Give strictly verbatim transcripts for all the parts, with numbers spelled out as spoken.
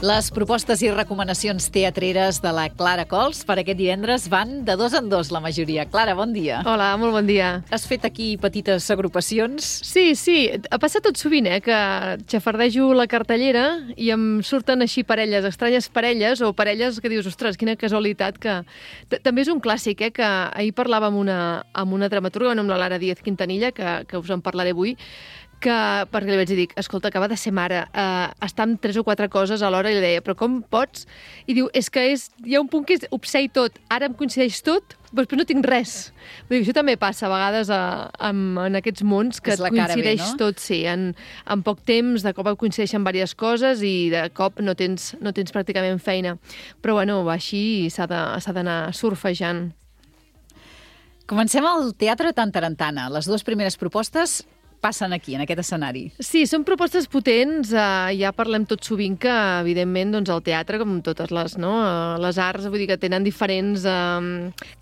Les propostes i recomanacions teatreres de la Clara Cols per aquest divendres van de dos en dos, la majoria. Clara, bon dia. Hola, molt bon dia. Has fet aquí petites agrupacions? Sí, sí, ha passat tot sovint, eh, que xafardejo la cartellera i em surten així parelles, estranyes parelles, o parelles que dius, ostres, quina casualitat, que... També és un clàssic, eh, que ahir parlava amb una, amb una dramaturga, amb la Lara Díaz Quintanilla, que, que us en parlaré avui, que, perquè li vaig dir, escolta, acaba de ser mare, eh, està amb tres o quatre coses alhora, i li deia, però com pots? I diu, és que és, hi ha un punt que és obsè i tot, ara em coincideix tot, però després no tinc res. Vull dir, això també passa a vegades a, a, en aquests mons, que et coincideix B, no? tot, sí, en, en poc temps, de cop et coincideixen diverses coses i de cop no tens, no tens pràcticament feina. Però bueno, va així i s'ha d'anar surfejant. Comencem al Teatre Tantarantana. Les dues primeres propostes passen aquí, en aquest escenari. Sí, són propostes potents. Uh, ja parlem tot sovint que, evidentment, doncs, el teatre, com totes les, no? uh, les arts, vull dir que tenen diferents uh,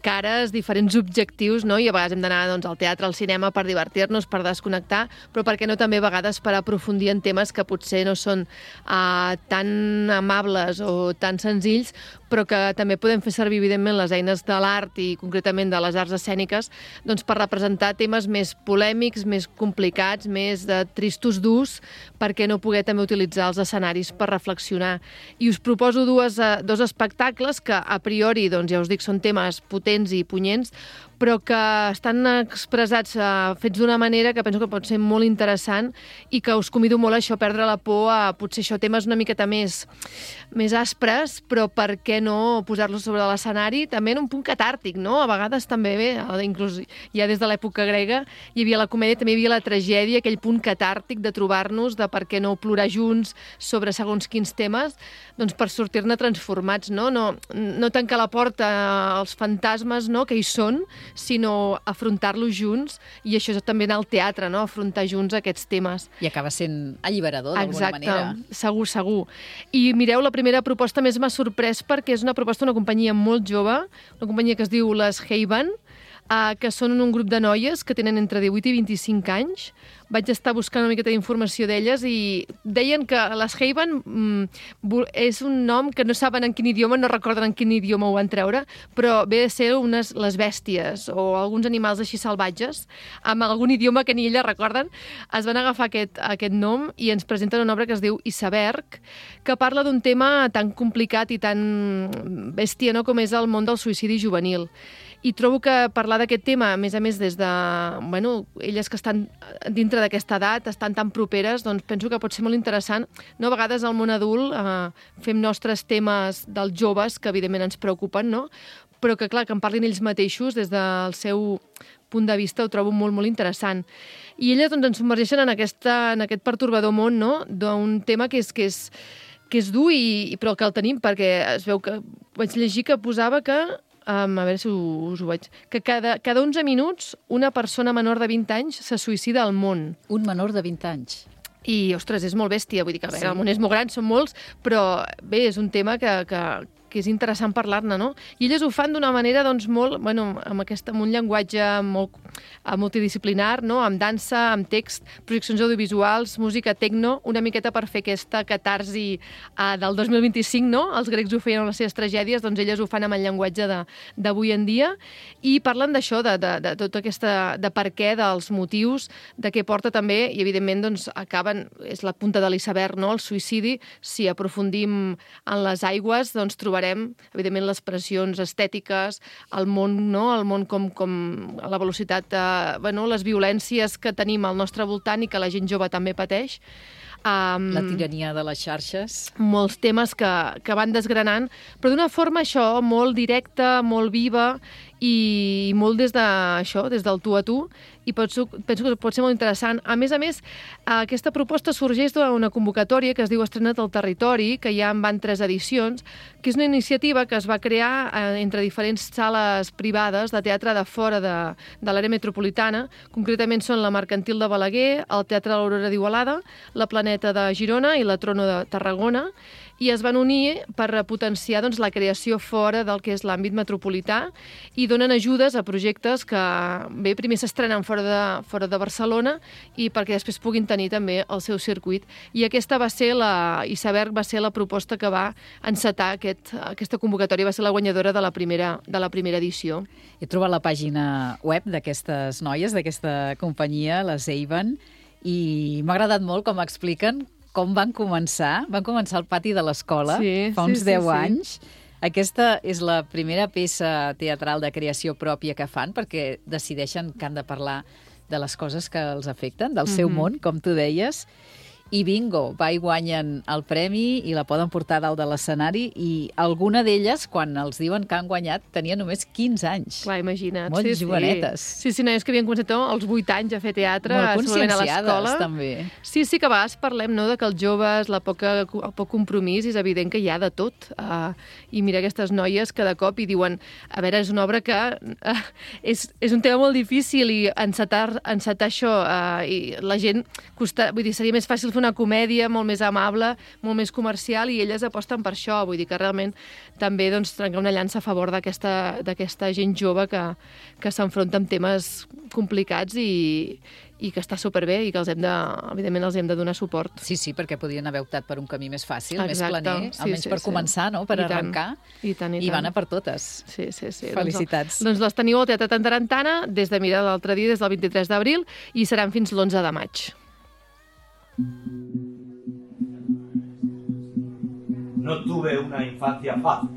cares, diferents objectius, no? I a vegades hem d'anar, doncs, al teatre, al cinema per divertir-nos, per desconnectar, però per què no també a vegades per aprofundir en temes que potser no són uh, tan amables o tan senzills, però que també podem fer servir, evidentment, les eines de l'art i concretament de les arts escèniques, doncs, per representar temes més polèmics, més complicats, més de tristos durs, perquè no poder també utilitzar els escenaris per reflexionar. I us proposo dues, dos espectacles que, a priori, doncs, ja us dic, són temes potents i punyents, però que estan expressats, uh, fets d'una manera que penso que pot ser molt interessant i que us convido molt a això, a perdre la por, a potser això, temes una miqueta més, més aspres, però per què no posar-los sobre l'escenari, també en un punt catàrtic, no? A vegades també bé, inclús ja des de l'època grega hi havia la comèdia, també hi havia la tragèdia, aquell punt catàrtic de trobar-nos, de per què no plorar junts sobre segons quins temes, doncs per sortir-ne transformats, no? No, no tancar la porta als fantasmes, no?, que hi són, sinó afrontar-los junts, i això és també anar al teatre, no?, afrontar junts aquests temes. I acaba sent alliberador, d'alguna manera. Exacte, segur, segur. I mireu, la primera proposta més m'ha sorprès perquè és una proposta d'una companyia molt jove, una companyia que es diu Les Haven, Uh, que són un grup de noies que tenen entre divuit i vint-i-cinc anys. Vaig estar buscant una miqueta d'informació d'elles i deien que les Haven mm, és un nom que no saben en quin idioma, no recorden en quin idioma ho van treure, però ve a ser unes, les bèsties o alguns animals així salvatges, amb algun idioma que ni elles recorden. Es van agafar aquest, aquest nom i ens presenten una obra que es diu Iceberg, que parla d'un tema tan complicat i tan bèstia, no?, com és el món del suïcidi juvenil. I trobo que parlar d'aquest tema, a més a més, des de... Bueno, elles que estan dintre d'aquesta edat, estan tan properes, doncs penso que pot ser molt interessant. No, a vegades al món adult eh, fem nostres temes dels joves, que evidentment ens preocupen, no?, però que, clar, que en parlin ells mateixos des del seu punt de vista, ho trobo molt, molt interessant. I elles, doncs, ens submergeixen en, aquesta, en aquest pertorbador món, no?, d'un tema que és, que és, que és dur, i, però que el tenim, perquè es veu que... Vaig llegir que posava que... Um, a veure si us ho veig, que cada, cada onze minuts una persona menor de vint anys se suïcida al món. Un menor de vint anys. I, ostres, és molt bèstia, vull dir que a veure, sí. El món és molt gran, són molts, però bé, és un tema que, que, que és interessant parlar-ne, no? I elles ho fan d'una manera, doncs, molt, bueno, amb, aquest, amb un llenguatge molt multidisciplinar, no?, amb dansa, amb text, projeccions audiovisuals, música tecno, una miqueta per fer aquesta catarsi uh, del dos mil vint-i-cinc, no? Els grecs ho feien amb les seves tragèdies, doncs elles ho fan amb el llenguatge d'avui en dia, i parlen d'això, de, de, de tota aquesta, de per què, dels motius, de què porta també, i evidentment, doncs, acaben, és la punta de l'iceberg, no?, el suïcidi. Si aprofundim en les aigües, doncs trobarem, evidentment, les pressions estètiques, el món, no?, el món com, com la velocitat, eh, bueno, les violències que tenim al nostre voltant i que la gent jove també pateix. Um, la tirania de les xarxes. Molts temes que, que van desgranant, però d'una forma, això, molt directa, molt viva, i molt des de això, des del tu a tu, i penso, penso que pot ser molt interessant. A més a més, aquesta proposta sorgeix d'una convocatòria que es diu Estrena't al Territori, que ja en van tres edicions, que és una iniciativa que es va crear entre diferents sales privades de teatre de fora de, de l'àrea metropolitana. Concretament són la Mercantil de Balaguer, el Teatre de l'Aurora d'Igualada, la Planeta de Girona i la Trono de Tarragona. i es van unir per potenciar doncs, la creació fora del que és l'àmbit metropolità i donen ajudes a projectes que bé, primer s'estrenen fora de, fora de Barcelona i perquè després puguin tenir també el seu circuit. I aquesta va ser la, Iceberg va ser la proposta que va encetar aquest, aquesta convocatòria, va ser la guanyadora de la primera, de la primera edició. He trobat la pàgina web d'aquestes noies, d'aquesta companyia, les Avon, i m'ha agradat molt com expliquen com van començar. Van començar al pati de l'escola, sí, fa uns sí, deu sí, anys. Aquesta és la primera peça teatral de creació pròpia que fan, perquè decideixen que han de parlar de les coses que els afecten, del seu Mhm. món, com tu deies. I bingo, va i guanyen el premi i la poden portar a dalt de l'escenari, i alguna d'elles, quan els diuen que han guanyat, tenia només quinze anys. Clar, imagina't. Molt sí, jovenetes. Sí, sí, noies que havien començat als vuit anys a fer teatre, Molt segurament a conscienciades, l'escola. també. Sí, sí, que a vegades parlem, no?, de que els joves, la poca, el poc compromís, és evident que hi ha de tot. Uh, I mira aquestes noies que de cop i diuen, a veure, és una obra que uh, és, és un tema molt difícil i encetar, encetar això, uh, i la gent, costa, vull dir, seria més fàcil fer una comèdia molt més amable, molt més comercial, i elles aposten per això. Vull dir que realment també doncs, trencar una llança a favor d'aquesta d'aquesta gent jove que, que s'enfronta amb temes complicats i, i que està superbé i que els hem de, evidentment els hem de donar suport. Sí, sí, perquè podien haver optat per un camí més fàcil, Exacte, més planer, sí, almenys sí, per sí. començar, no?, per I tant, arrencar, i, tant, i, i tant. van a per totes. Sí, sí, sí. Felicitats. Doncs, doncs les teniu al Teatre Tantarantana des de, mira, l'altre dia, des del vint-i-tres d'abril, i seran fins l'onze de maig. No tuve una infancia fácil.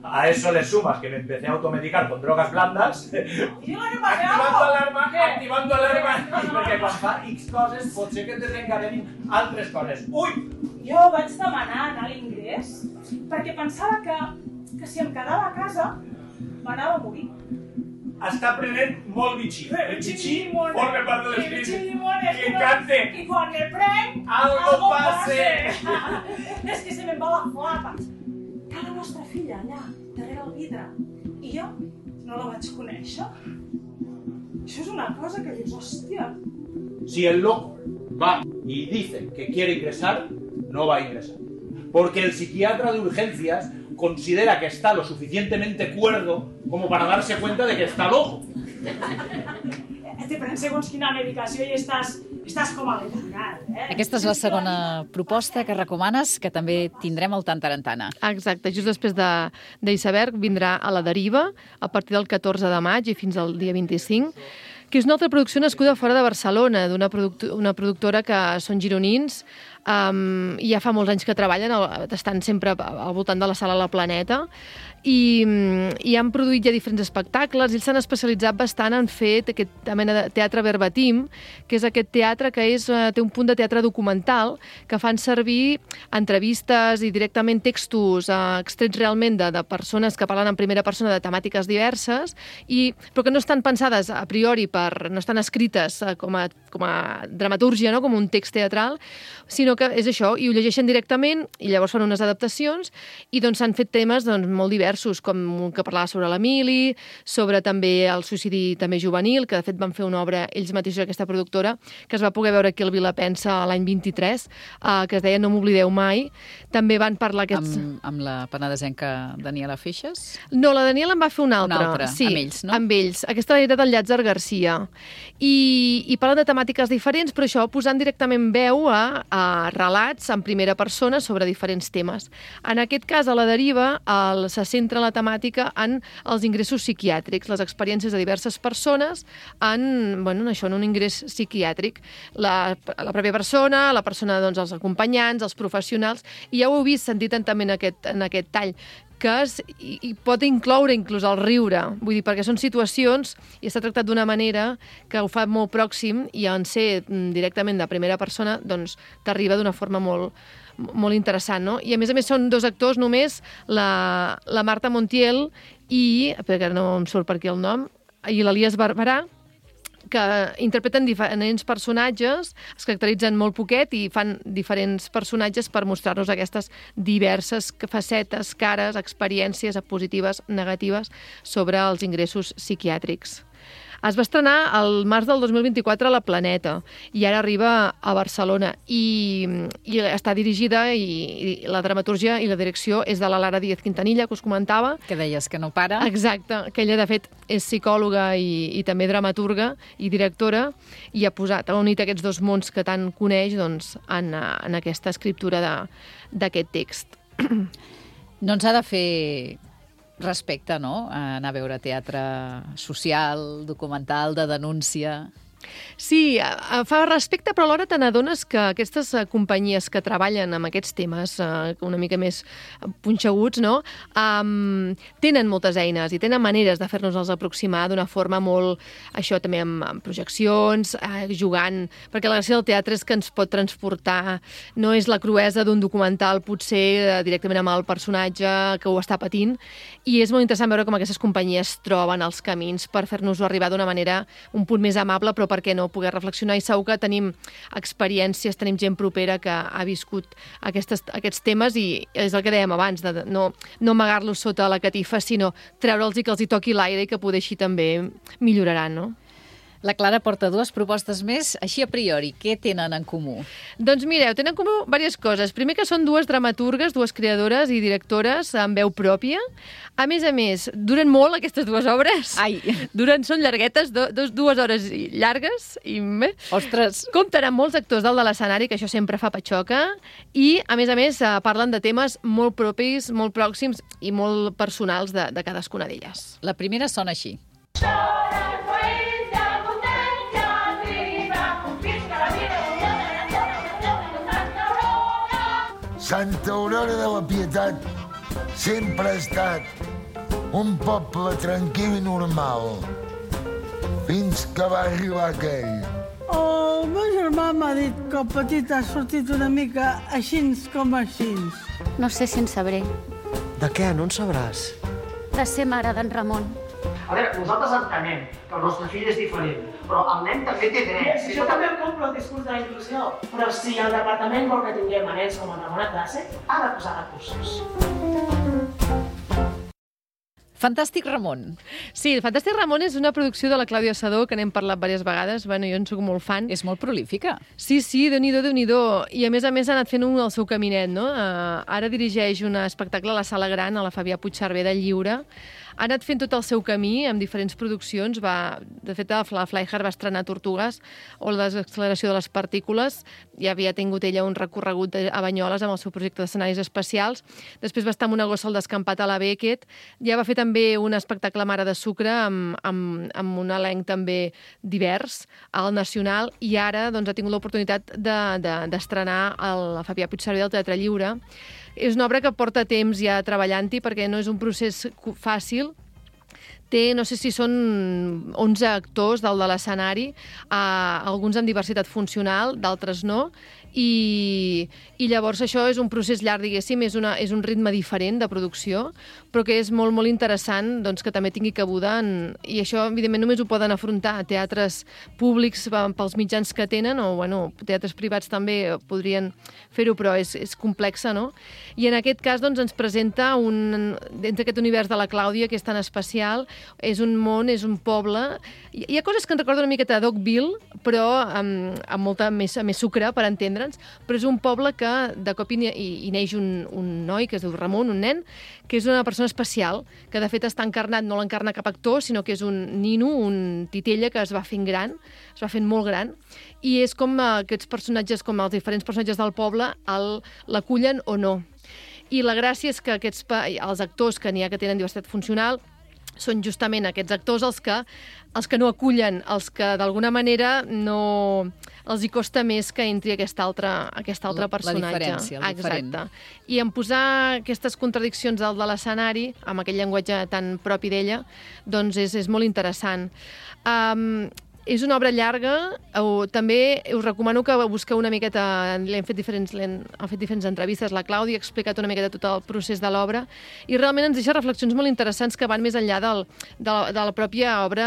A eso le sumas que me empecé a automedicar con drogas blandas, activando alarma, activando alarma, perquè quan fa X coses pot ser que et desencadenin altres coses. Ui! Jo vaig demanar anar a l'ingrés perquè pensava que, que si em quedava a casa m'anava a morir. Està prenent molt bitxí. El bitxí llimone, forma part de el bitxí l'espírit. llimone, Que encante. I quan me prenc, Algo pase. És que se me'n va la flapa. Que la nostra filla allà, darrere el vidre. I jo no la vaig conèixer. Això és una cosa que dius, hòstia. Si el loco va y dice que quiere ingresar, no va a ingresar. Porque el psiquiatra de urgencias considera que está lo suficientemente cuerdo como para darse cuenta de que está loco. Te prens segons quina medicació i estàs, estàs com a letargat, eh? Aquesta és la segona proposta que recomanes, que també tindrem al Tantarantana. Exacte, just després de d'Iceberg vindrà A la deriva a partir del catorze de maig i fins al dia vint-i-cinc, que és una altra producció nascuda fora de Barcelona, d'una product una productora que són gironins, um, i ja fa molts anys que treballen, al, estan sempre al voltant de la Sala La Planeta, i, i han produït ja diferents espectacles, i ells s'han especialitzat bastant en fer aquest mena de teatre verbatim, que és aquest teatre que és, té un punt de teatre documental, que fan servir entrevistes i directament textos eh, extrets realment de, de persones que parlen en primera persona de temàtiques diverses, i, però que no estan pensades a priori, per, no estan escrites eh, com, a, com a dramatúrgia, no? Com un text teatral, sinó que és això, i ho llegeixen directament, i llavors fan unes adaptacions, i doncs s'han fet temes doncs, molt diversos, com un que parlava sobre l'Emili, sobre també el suïcidi també juvenil, que de fet van fer una obra ells mateixos, aquesta productora, que es va poder veure aquí al Vilapensa l'any vint-i-tres, eh, que es deia No m'oblideu mai. També van parlar aquests... Amb, amb la penedesenca Daniela Feixes? No, la Daniela en va fer una altra. Una altra, sí, amb ells, no? Amb ells. Aquesta era del Llàtzer Garcia. I, i parlen de temàtiques diferents, però això posant directament veu a, a relats en primera persona sobre diferents temes. En aquest cas, A la deriva, el, se centra la temàtica en els ingressos psiquiàtrics, les experiències de diverses persones en, bueno, en això, en un ingrés psiquiàtric. La, la pròpia persona, la persona, doncs, els acompanyants, els professionals, i ja ho heu vist, sentit també en aquest, en aquest tall, que es, i, i pot incloure inclús el riure, vull dir, perquè són situacions i està tractat d'una manera que ho fa molt pròxim, i en ser directament de primera persona, doncs t'arriba d'una forma molt, molt interessant, no? I a més a més són dos actors només, la, la Marta Montiel i, perquè no em surt per aquí el nom, i l'Elias Barberà, que interpreten diferents personatges, es caracteritzen molt poquet i fan diferents personatges per mostrar-nos aquestes diverses facetes, cares, experiències positives, negatives sobre els ingressos psiquiàtrics. Es va estrenar el març del dos mil vint-i-quatre a la Planeta i ara arriba a Barcelona i, i està dirigida i, i la dramatúrgia i la direcció és de la Lara Díaz Quintanilla, que us comentava. Que deies que no para. Exacte, que ella de fet és psicòloga i, i també dramaturga i directora i ha posat, ha unit aquests dos mons que tant coneix doncs, en, en aquesta escriptura d'aquest text. No ens ha de fer respecte, no?, anar a veure teatre social, documental, de denúncia. Sí, fa respecte, però alhora te n'adones que aquestes companyies que treballen amb aquests temes una mica més punxeguts, no?, um, tenen moltes eines i tenen maneres de fer-nos-els aproximar d'una forma molt, això també amb, amb projeccions, eh, jugant, perquè la gràcia del teatre és que ens pot transportar, no és la cruesa d'un documental potser eh, directament amb el personatge que ho està patint, i és molt interessant veure com aquestes companyies troben els camins per fer-nos-ho arribar d'una manera un punt més amable, però per què no poder reflexionar, i segur que tenim experiències, tenim gent propera que ha viscut aquestes, aquests temes i és el que dèiem abans, de no, no amagar-los sota la catifa, sinó treure'ls i que els hi toqui l'aire i que poder així també milloraran, no? La Clara porta dues propostes més, així a priori, què tenen en comú? Doncs mireu, tenen en comú diverses coses. Primer que són dues dramaturgues, dues creadores i directores amb veu pròpia. A més a més, duren molt aquestes dues obres. Ai! Duren, són llarguetes, do, dos, dues hores llargues. I ostres! Compten amb molts actors dalt de l'escenari, que això sempre fa patxoca, i a més a més parlen de temes molt propis, molt pròxims i molt personals de, de cadascuna d'elles. La primera sona així. Santa Aurora de la Pietat sempre ha estat un poble tranquil i normal, fins que va arribar aquell. El meu germà m'ha dit que el petit ha sortit una mica així com així. No sé si en sabré. De què? No en sabràs? De ser mare d'en Ramon. A veure, nosaltres entenem que el nostre fill és diferent, però el nen també té drets. Sí, jo també em compro el discurs de la inclusió, però si el departament vol que tinguem nens com el Ramon a classe, ha de posar recursos. Fantàstic Ramon. Sí, Fantàstic Ramon és una producció de la Clàudia Sadó, que n'hem parlat diverses vegades. Bueno, jo en soc molt fan. És molt prolífica. Sí, sí, Déu-n'hi-do, Déu-n'hi-do. I a més a més ha anat fent un el seu caminet, no? Uh, ara dirigeix un espectacle a la Sala Gran, a la Fabià Puigcerver del Lliure. Ha anat fent tot el seu camí amb diferents produccions. Va, de fet, la Flyhard va estrenar Tortugues o la desacceleració de les partícules. Ja havia tingut ella un recorregut a Banyoles amb el seu projecte d'escenaris especials. Després va estar amb una gossa al descampat a la Beckett. Ja va fer també un espectacle Mare de Sucre amb, amb, amb un elenc també divers al Nacional, i ara doncs, ha tingut l'oportunitat d'estrenar de, de, a la Fabià Puigcerver del Teatre Lliure. És una obra que porta temps ja treballant-hi perquè no és un procés fàcil. Té, no sé si són onze actors dalt de l'escenari, eh, alguns amb diversitat funcional, d'altres no, i, i llavors això és un procés llarg, diguéssim, és, una, és un ritme diferent de producció, però que és molt, molt interessant doncs, que també tingui cabuda en, i això, evidentment, només ho poden afrontar a teatres públics pels mitjans que tenen, o bueno, teatres privats també podrien fer-ho, però és, és complexa, no? I en aquest cas doncs, ens presenta un, dins d'aquest univers de la Clàudia, que és tan especial, és un món, és un poble. Hi, hi ha coses que ens recorden una miqueta a Dogville, però amb, amb molta més, més sucre, per entendre'ns, però és un poble que de cop hi, hi neix un, un noi que es diu Ramon, un nen, que és una persona especial, que de fet està encarnat, no l'encarna cap actor, sinó que és un nino, un titella que es va fent gran, es va fent molt gran, i és com aquests personatges, com els diferents personatges del poble, l'acullen o no. I la gràcia és que aquests, els actors que n'hi ha que tenen diversitat funcional són justament aquests actors els que, els que no acullen, els que d'alguna manera no els hi costa més que entri aquest altre, aquest altre personatge. La diferència, el diferent. Exacte. I en posar aquestes contradiccions dalt de l'escenari, amb aquell llenguatge tan propi d'ella, doncs és, és molt interessant. Um, És una obra llarga, o, també us recomano que busqueu una miqueta, l'hem fet diferents, l'hem fet diferents entrevistes, la Clàudia ha explicat una miqueta tot el procés de l'obra, i realment ens deixa reflexions molt interessants que van més enllà del, de, la, de la pròpia obra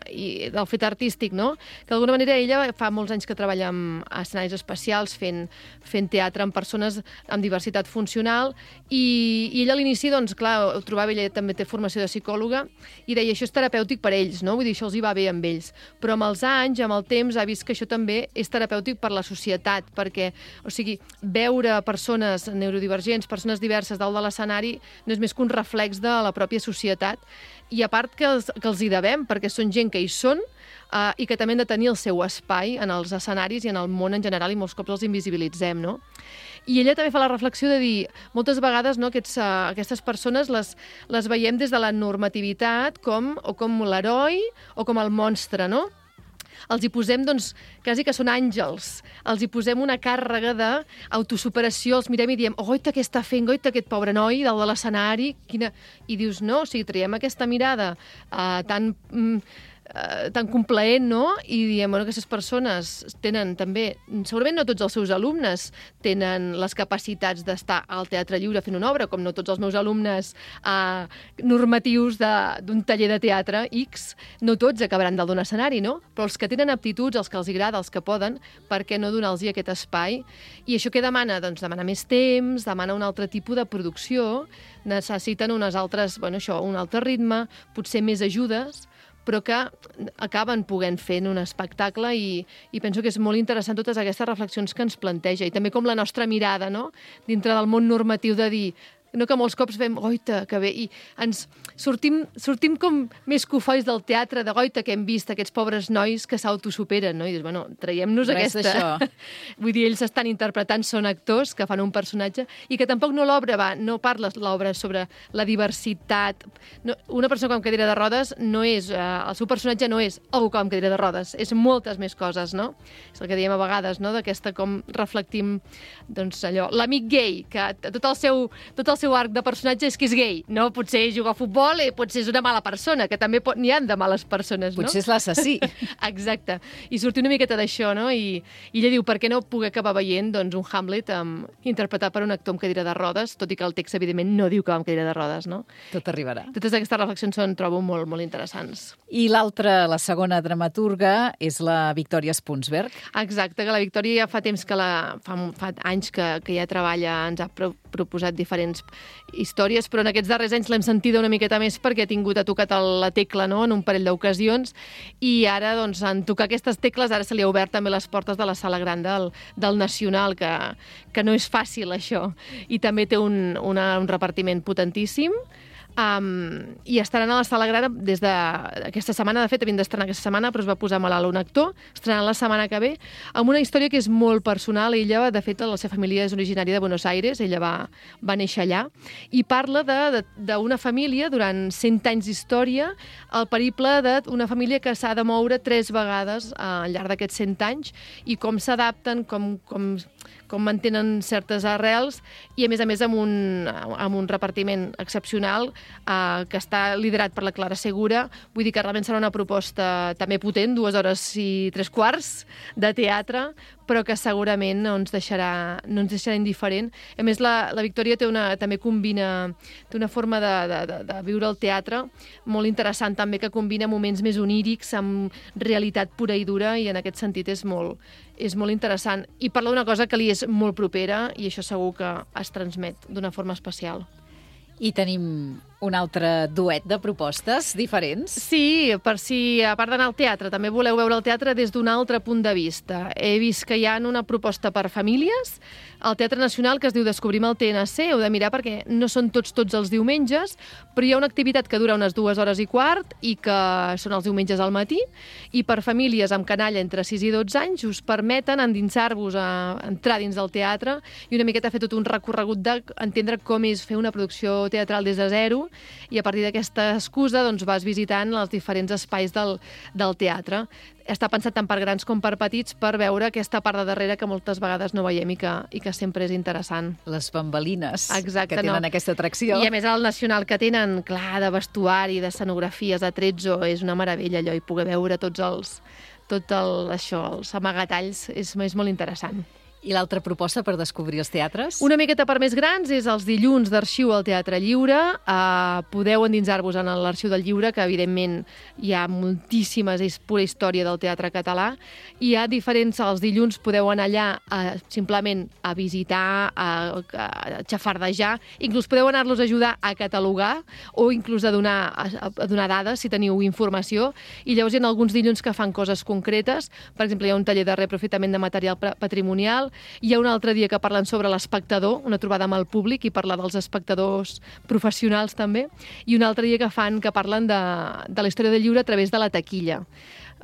i del fet artístic, no? Que d'alguna manera ella fa molts anys que treballa amb escenaris especials, fent, fent teatre amb persones amb diversitat funcional, i, i ella a l'inici, doncs, clar, ho trobava, ella també té formació de psicòloga, i deia, això és terapèutic per ells, no? Vull dir, això els hi va bé amb ells. Però amb els anys, amb el temps, ha vist que això també és terapèutic per la societat, perquè, o sigui, veure persones neurodivergents, persones diverses dalt de l'escenari, no és més que un reflex de la pròpia societat, i a part que els, que els hi devem, perquè són gent que hi són, uh, i que també han de tenir el seu espai en els escenaris i en el món en general, i molts cops els invisibilitzem, no? I ella també fa la reflexió de dir, moltes vegades, no, aquests, uh, aquestes persones les, les veiem des de la normativitat com, o com l'heroi o com el monstre, no? Els hi posem, doncs, quasi que són àngels. Els hi posem una càrrega d'autosuperació, els mirem i diem, oita, què està fent, oita, aquest pobre noi dalt de l'escenari, quina... I dius, no, o sigui, traiem aquesta mirada uh, tan... Mm, Uh, tan complaent, no? I diem, bueno, aquestes persones tenen també, segurament no tots els seus alumnes tenen les capacitats d'estar al Teatre Lliure fent una obra, com no tots els meus alumnes uh, normatius d'un taller de teatre X, no tots acabaran dalt d'un escenari, no? Però els que tenen aptituds, els que els agrada, els que poden, per què no donar-los aquest espai? I això què demana? Doncs demana més temps, demana un altre tipus de producció, necessiten unes altres, bueno, això, un altre ritme, potser més ajudes, però que acaben podent fer un espectacle, i, i penso que és molt interessant totes aquestes reflexions que ens planteja, i també com la nostra mirada, no?, dintre del món normatiu, de dir, no, que molts cops fem, oita, que bé, i ens sortim, sortim com més cofois del teatre, de goita que hem vist aquests pobres nois que s'autosuperen, no? I dius, bueno, traiem-nos aquesta... Vull dir, ells estan interpretant, són actors que fan un personatge, i que tampoc no l'obra va, no parla l'obra sobre la diversitat. No, una persona amb cadira de rodes no és, eh, el seu personatge no és algú amb cadira de rodes, és moltes més coses, no? És el que diem a vegades, no?, d'aquesta com reflectim, doncs allò, l'amic gay, que tot el seu, tot el seu arc de personatge és que és gay, no? Potser juga a futbol i potser és una mala persona, que també n'hi ha de males persones, no? Potser és l'assassí. Exacte. I sortir una miqueta d'això, no? I, i ella diu, per què no poder acabar veient, doncs, un Hamlet um, interpretat per un actor amb cadira de rodes, tot i que el text, evidentment, no diu que va amb cadira de rodes, no? Tot arribarà. Totes aquestes reflexions són, trobo, molt, molt interessants. I l'altra, la segona dramaturga, és la Victòria Spunsberg. Exacte, que la Victòria ja fa temps que la... fa, fa anys que, que ja treballa, ens ha pro, proposat diferents històries, però en aquests darrers anys l'hem sentida una miqueta més perquè ha tingut a tocat la tecla, no?, en un parell d'ocasions, i ara, doncs, en tocar aquestes tecles, ara se li ha obert també les portes de la sala gran del, del Nacional, que, que no és fàcil, això. I també té un, una, un repartiment potentíssim, Um, i estaran a la sala gran des d'aquesta setmana, de fet havien d'estrenar aquesta setmana, però es va posar malalt un actor, estrenant la setmana que ve, amb una història que és molt personal. Ella, de fet, la seva família és originària de Buenos Aires, ella va, va néixer allà, i parla d'una família, durant cent anys d'història, el periple d'una família que s'ha de moure tres vegades al llarg d'aquests cent anys, i com s'adapten, com, com, com mantenen certes arrels, i a més a més amb un, amb un repartiment excepcional, Uh, que està liderat per la Clara Segura. Vull dir que realment serà una proposta també potent, dues hores i tres quarts de teatre, però que segurament no ens deixarà, no ens deixarà indiferent. A més, la, la Victòria té una, també combina, té una forma de, de, de, de viure el teatre molt interessant, també, que combina moments més onírics amb realitat pura i dura, i en aquest sentit és molt, és molt interessant. I parla d'una cosa que li és molt propera, i això segur que es transmet d'una forma especial. I tenim un altre duet de propostes diferents. Sí, per si, a part d'anar al teatre, també voleu veure el teatre des d'un altre punt de vista. He vist que hi ha una proposta per famílies al Teatre Nacional que es diu Descobrim el T N C. Heu de mirar perquè no són tots tots els diumenges, però hi ha una activitat que dura unes dues hores i quart i que són els diumenges al matí, i per famílies amb canalla entre sis i dotze anys us permeten endinsar-vos a entrar dins del teatre i una miqueta fer tot un recorregut d'entendre com és fer una producció teatral des de zero, i a partir d'aquesta excusa doncs, vas visitant els diferents espais del, del teatre. Està pensat tant per grans com per petits, per veure aquesta part de darrere que moltes vegades no veiem i que, i que sempre és interessant. Les bambalines. Exacte, que tenen no. aquesta atracció. I a més al Nacional que tenen, clar, de vestuari, d'escenografies, de tretzo, és una meravella allò, i poder veure tots els tot el, això, els amagatalls, és, és molt interessant. I l'altra proposta per descobrir els teatres? Una miqueta per més grans és els dilluns d'arxiu al Teatre Lliure. Uh, podeu endinsar-vos en l'arxiu del Lliure, que evidentment hi ha moltíssimes, és pura història del teatre català. Hi ha diferents, els dilluns podeu anar allà uh, simplement a visitar, a, a xafardejar, inclús podeu anar-los a ajudar a catalogar o inclús a donar, a, a donar dades si teniu informació. I llavors hi ha alguns dilluns que fan coses concretes. Per exemple, hi ha un taller de reaprofitament de material patrimonial. Hi ha un altre dia que parlen sobre l'espectador, una trobada amb el públic, i parla dels espectadors professionals també, i un altre dia que fan que parlen de, de la història del lliure a través de la taquilla.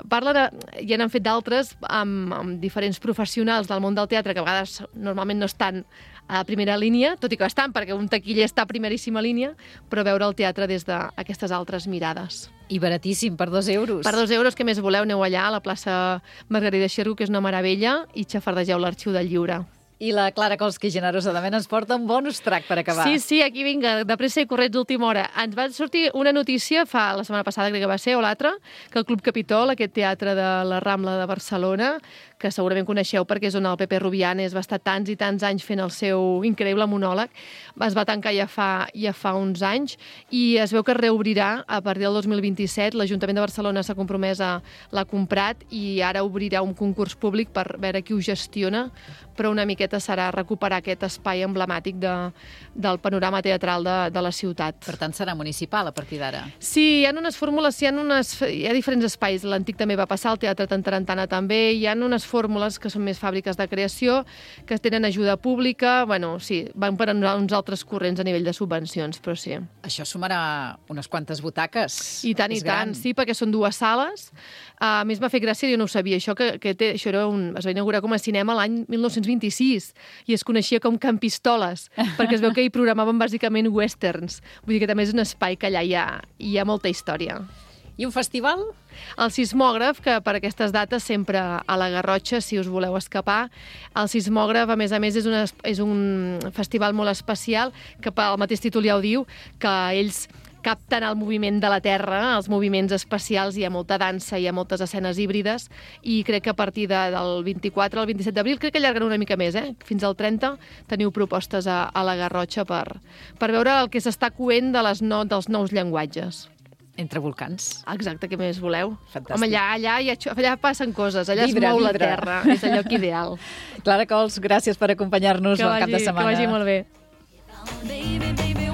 Parla de, ja n'han fet d'altres amb, amb diferents professionals del món del teatre que a vegades normalment no estan a primera línia, tot i que estan, perquè un taquiller està a primeríssima línia, però veure el teatre des d'aquestes altres mirades. I baratíssim, per dos euros. Per dos euros, què més voleu? Aneu allà a la plaça Margarida Xirgu, que és una meravella, i xafardegeu l'Arxiu del Lliure. I la Clara Kolski, generosament, ens porta un bonus track per acabar. Sí, sí, aquí vinga, de pressa i corrents d'última hora. Ens va sortir una notícia, fa la setmana passada crec que va ser, o l'altra, que el Club Capitol, aquest teatre de la Rambla de Barcelona, que segurament coneixeu perquè és on el Pepe Rubianes va estar tants i tants anys fent el seu increïble monòleg, es va tancar ja fa, ja fa uns anys i es veu que reobrirà a partir del dos mil vint-i-set. L'Ajuntament de Barcelona s'ha compromès a l'ha comprat i ara obrirà un concurs públic per veure qui ho gestiona, però una miqueta serà recuperar aquest espai emblemàtic de, del panorama teatral de, de la ciutat. Per tant, serà municipal a partir d'ara. Sí, hi ha unes fórmules, hi ha, unes, hi ha diferents espais. L'Antic també va passar, el Teatre Tantarantana també, hi ha unes fórmules que són més fàbriques de creació, que tenen ajuda pública, bueno, sí, van per uns altres corrents a nivell de subvencions, però sí. Això sumarà unes quantes butaques. I tant, i tant, sí, perquè són dues sales. A més, m'ha fet gràcia, jo no ho sabia, això que, que té, això era un, es va inaugurar com a cinema l'any mil nou-cents vint-i-sis i es coneixia com Camp Pistoles, perquè es veu que hi programaven bàsicament westerns. Vull dir que també és un espai que allà hi ha, hi ha molta història. I un festival? El Sismògraf, que per aquestes dates sempre a la Garrotxa, si us voleu escapar. El Sismògraf, a més a més, és, una, és un festival molt especial, que pel mateix títol ja ho diu, que ells capten el moviment de la Terra, els moviments espacials, hi ha molta dansa, hi ha moltes escenes híbrides, i crec que a partir de, del vint-i-quatre al vint-i-set d'abril, crec que allarguen una mica més, eh? Fins al trenta, teniu propostes a, a la Garrotxa per, per veure el que s'està coent de les no, dels nous llenguatges. Entre volcans. Exacte, què més voleu? Fantàstic. Home, allà, allà, allà, allà passen coses, allà Vibra, es mou vibra. la terra, és el lloc ideal. Clara Cols, gràcies per acompanyar-nos al cap de setmana. Que vagi molt bé. Baby, baby,